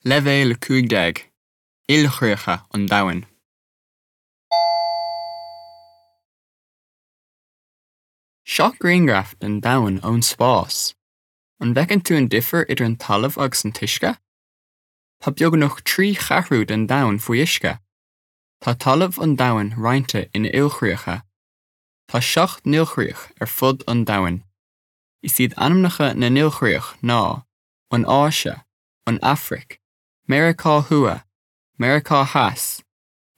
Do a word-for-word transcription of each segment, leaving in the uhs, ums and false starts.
Leibhéal a cúig déag, Ilchríocha an Domhain. Seo grianghraf den domhan ón spás. An bhfeiceann tú an difear idir an talamh agus an t-uisce? Tá beagnach trí cheathrú den domhan faoi uisce. Tá talamh an domhain roinnte ina ilchríocha. Tá seacht n-ilchríoch ar fud an domhain. Is iad ainmneacha na n-ilchríoch ná an Áise, an Afraic, Meiriceá Thuaidh, Meiriceá Theas,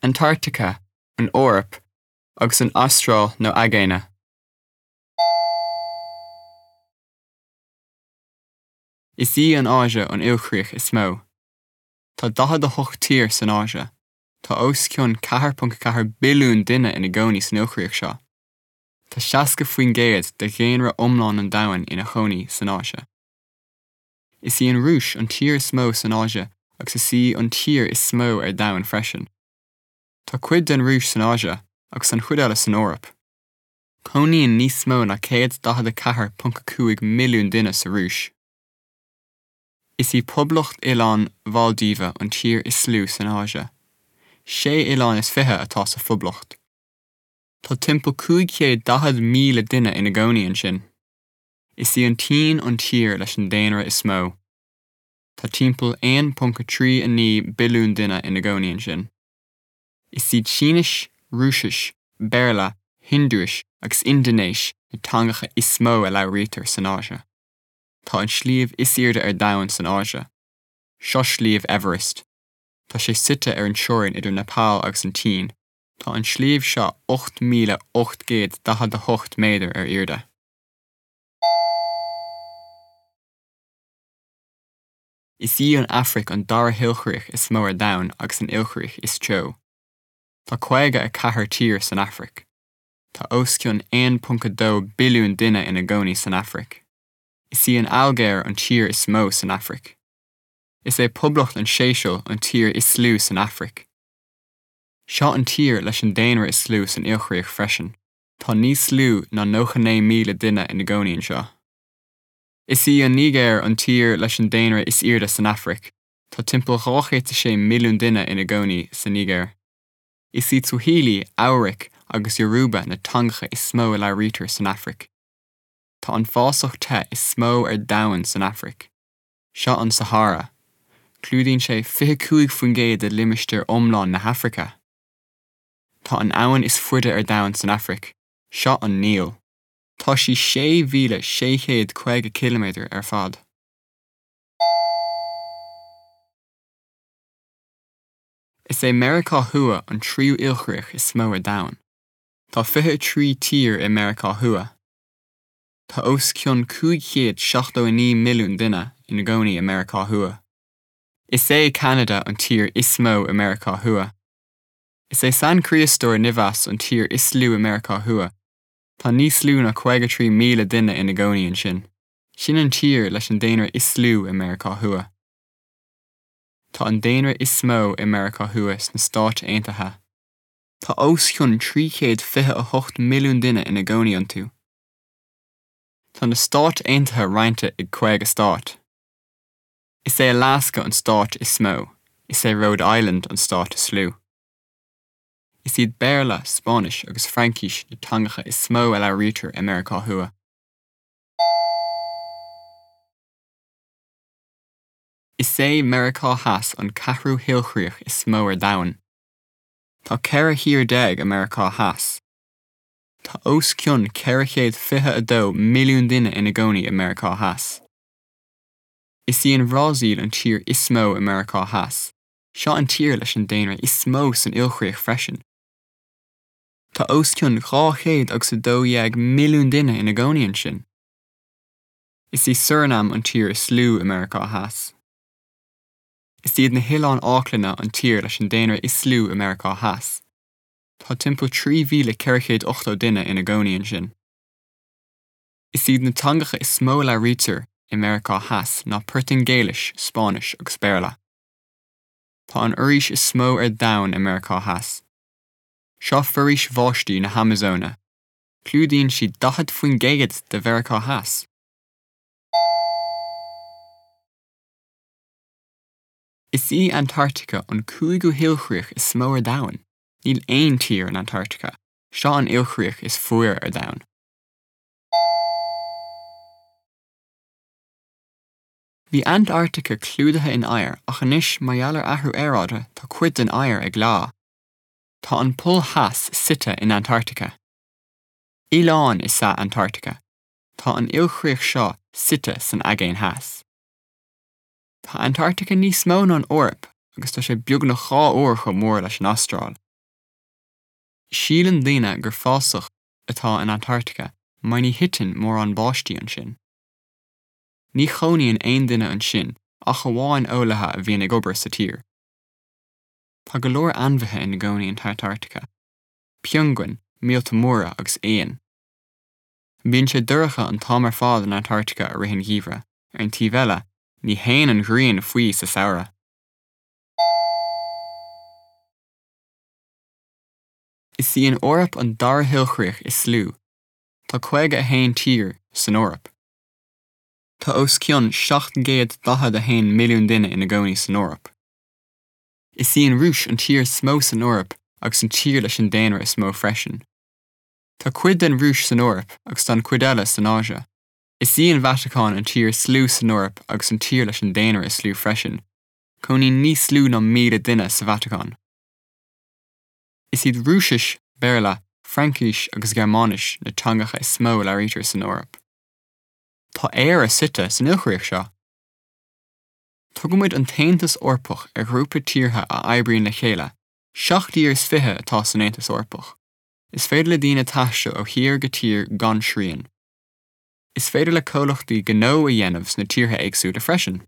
Antartaice, an Eoraip agus an Astráil nó Aigéine. Is í an Áise an ilchríoch is mó. Tá daichead a hocht tír san Áise. Tá os cionn ceathair ponc ceathair billiún duine ina gcónaí san ilchríoch seo. Tá seasca faoin gcéad de dhaonra iomlán an domhain ina chónaí san Áise. Is í an Rúis an tír is mó san Áise agus is í an tír is mó ar domhan freisin. Tá cuid den Rúis san Áise agus an chuid eile san Eoraip. Cónaíonn níos mó ná céad daichead a ceathair ponc a cúig milliún duine sa Rúis. Is í Poblacht Oileáin Mhaildíve an tír is lú san Áise. Sé oileán is fiche atá sa phoblacht. Tá timpeall cúig chéad daichead míle duine ina gcónaí ansin. Is í an tSín an tír leis an daonra is mó. Tá timpeall aon ponc a trí a naoi billiún duine ina gcónaí ansin. Is iad Sínis, Rúisis, Béarla, Hiondúis agus Indinéis na teangacha is mó a labhraítear san Áise. Tá an sliabh is airde ar domhan san Áise. Seo sliabh Everest. Tá sé suite ar an teorainn idir Nepal agus an tSín. Tá an sliabh seo ocht míle ocht gcéad daichead a hocht méadar ar airde. Is í an Afraic an dara hilchríoch is mó ar domhan agus an ilchríoch is teo. Tá caoga a ceathair tír san Afraic. Tá os cionn aon ponc a dó billiún duine ina gcónaí san Afraic. Is í an Ailgéir an tír is mó san Afraic. Is é Poblacht an Séiseil an tír is lú san Afraic. Seo an tír leis an daonra is lú san ilchríoch freisin. Tá níos lú ná nócha naoi míle duine ina gcónaí anseo. Is í an Nigéir an tír leis an daonra is airde san Afraic. Tá timpeall dhá chéad a sé milliún duine ina gcónaí sa Nigéir. Is iad Swahili, Eabhrac agus Yoruba na teangacha is mó a labhraítear san Afraic. Tá an fásach te is mó ar domhan san Afraic. Seo an Sahara. Clúdaíonn sé fiche cúig faoin gcéad de limistéar iomlán na hAfraice. Tá an abhainn is faide ar domhan san Afraic. Seo an Níl. Tá sí sé mhíle sé chéad caoga ciliméadar ar fad. Is é Meiriceá Thuaidh an tríú ilchríoch is mó ar domhan. Tá fiche a trí tír i Meiriceá Thuaidh. Tá os cionn cúig chéad seachtó a naoi milliún duine ina gcónaí i Meiriceá Thuaidh. Is é Ceanada an tír is mó i Meiriceá Thuaidh. Is é San Críostóir Nevis an tír is lú i Meiriceá Thuaidh. Tá níos lú ná caoga trí míle duine ina gcónaí ansin. Sin an tír leis an daonra is lú i Meiriceá Thuaidh. Tá an daonra is mó i Meiriceá Thuaidh sna Stáit Aontaithe. Tá os cionn trí chéad fiche a hocht milliún duine ina gcónaí iontu. Tá na Stáit Aontaithe roinnte i gcaoga stát. Is é Alasca an stát is mó, is é Rhode Island an stát is lú. Is iad Béarla, Spáinnis agus Fraincis na teangacha is mó a labhraítear i Meiriceá Thuaidh. Is é Meiriceá Theas an ceathrú hilchríoch is mó ar domhan. Tá ceithre thír déag i Meiriceá Theas. Tá os cionn ceithre chéad fiche a dó milliún duine ina gcónaí i Meiriceá Theas. Is í an Bhrasaíl an tír is mó i Meiriceá Theas. Seo an tír leis an daonra is mó san ilchríoch freisin. Tá os cionn dhá chéad agus a dó dhéag milliún duine ina gcónaí ansin. Is í Surinam an tír is lú i Meiriceá Theas. Is iad na hOileáin Fháclainne an tír leis an daonra is lú i Meiriceá Theas. Tá timpeall trí mhíle ceithre chéad ochtó duine ina gcónaí ansin. Is iad na teangacha is mó a labhraítear i Meiriceá Theas ná Portaingéilis, Spáinnis agus Béarla. Tá an fhoraois is mó ar domhan i Meiriceá Theas. Seo foraois bháistí na hAmazóine. Clúdaíonn sí daichead faoin gcéad de Mheiriceá Theas. Is í Antartaice an cúigiú hilchríoch is mó ar domhan. Níl aon tír in Antartaice, seo an ilchríoch is fuaire ar domhan. Bhí Antartaice clúdaithe in oighear ach anois mar gheall ar athrú aeráide tá cuid den oighear ag leá. Tá an Pol Theas suite in Antartaice. Oileán is ea Antartaice. Tá an ilchríoch seo suite san Aigéan Theas. Tá Antartaice níos mó ná an Eoraip agus tá sé beagnach dhá uair chomh mór leis an Astráil. Síleann daoine gur fásach atá in Antartaice mar ní thiteann mórán báistí ansin. Ní chónaíonn aon duine ansin ach amháin eolaithe a bhíonn ag obair sa tír. Tá go leor ainmhithe ina gcónaí in Antartaice. Piongain, míolta móra agus éin. Bíonn sé dorcha an t-am ar fad in Antartaice i rith an gheimhridh, ar an taobh eile, ní théann an ghrian faoi sa samhradh. Is í an Eoraip an dara hilchríoch is lú. Tá caoga a haon tír san Eoraip. Tá os cionn seacht gcéad daichead a haon milliún duine ina gcónaí san Eoraip. Is í an Rúis an tír is mó san Eoraip agus an tír leis an daonra is mó freisin. Tá cuid den Rúis san Eoraip agus tá an chuid eile san Áise. Is í an Vatacáin an tír is lú san Eoraip agus an tír leis an daonra is lú freisin. Cónaíonn níos lú ná míle duine sa Vatacáin. Is iad Rúisis, Béarla, Fraincis agus Gearmáinis na teangacha is mó a labhraítear san Eoraip. Tá Éire suite san ilchríoch seo. Tugaimid an tAontas Eorpach ar ghrúpa tíortha a oibríonn le chéile, seacht dtír is fiche atá san Aontas Eorpach. Is féidir le daoine taisteal ó thír go tír gan srian. Is féidir le comhlachtaí gnó a dhéanamh sna tíortha éagsúla freisin.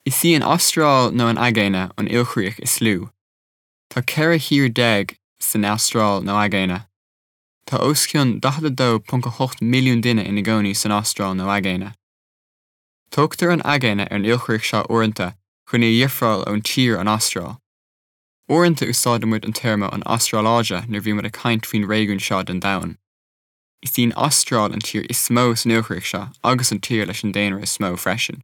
Is í an Astráil nó an Aigéine an ilchríoch is lú. Tá ceithre thír déag san Astráil nó Aigéine. Tá os cionn daichead a dó ponc a hocht milliún duine ina gcónaí san Astráil nó Aigéine. Tugtar an Aigéine ar an ilchríoch seo uaireanta chun í a dhifreáil ón tír an Astráil. Uaireanta úsáidimid an téarma an Astráil-Áise nuair bhímid ag caint faoin réigiún seo den domhan. Is í an Astráil an tír is mó san ilchríoch seo agus an tír leis an daonra is mó freisin.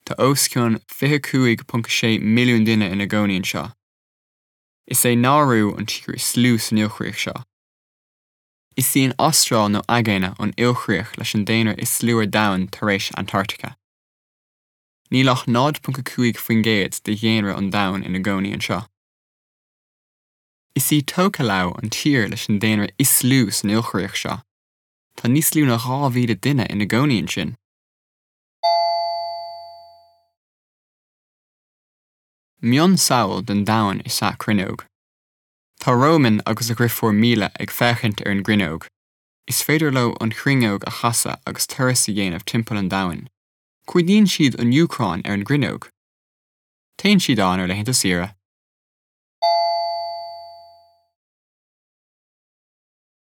Tá os cionn fiche cúig ponc sé milliún duine ina gcónaí anseo. Is é Nauru an tír is lú san ilchríoch seo. Is í an Astráil nó Aigéine an ilchríoch leis an daonra is lú ar domhan tar éis Antartaice. Níl ach náid ponc a cúig faoin gcéad de dhaonra an domhain ina gcónaí anseo. Is í Tokelau an tír leis an daonra is lú san ilchríoch seo. Tá níos lú ná dhá mhíle duine ina gcónaí ansin. Mionsamhail den domhan is ea cruinneog. Tá Roman agus a dheirfiúr Míle ag féachaint ar an gcruinneog. Is féidir leo an chruinneog a chasadh agus turas a dhéanamh timpeall an domhain. Cuidíonn siad an Úcráin ar an gcruinneog. Téann siad ann ar laethanta saoire.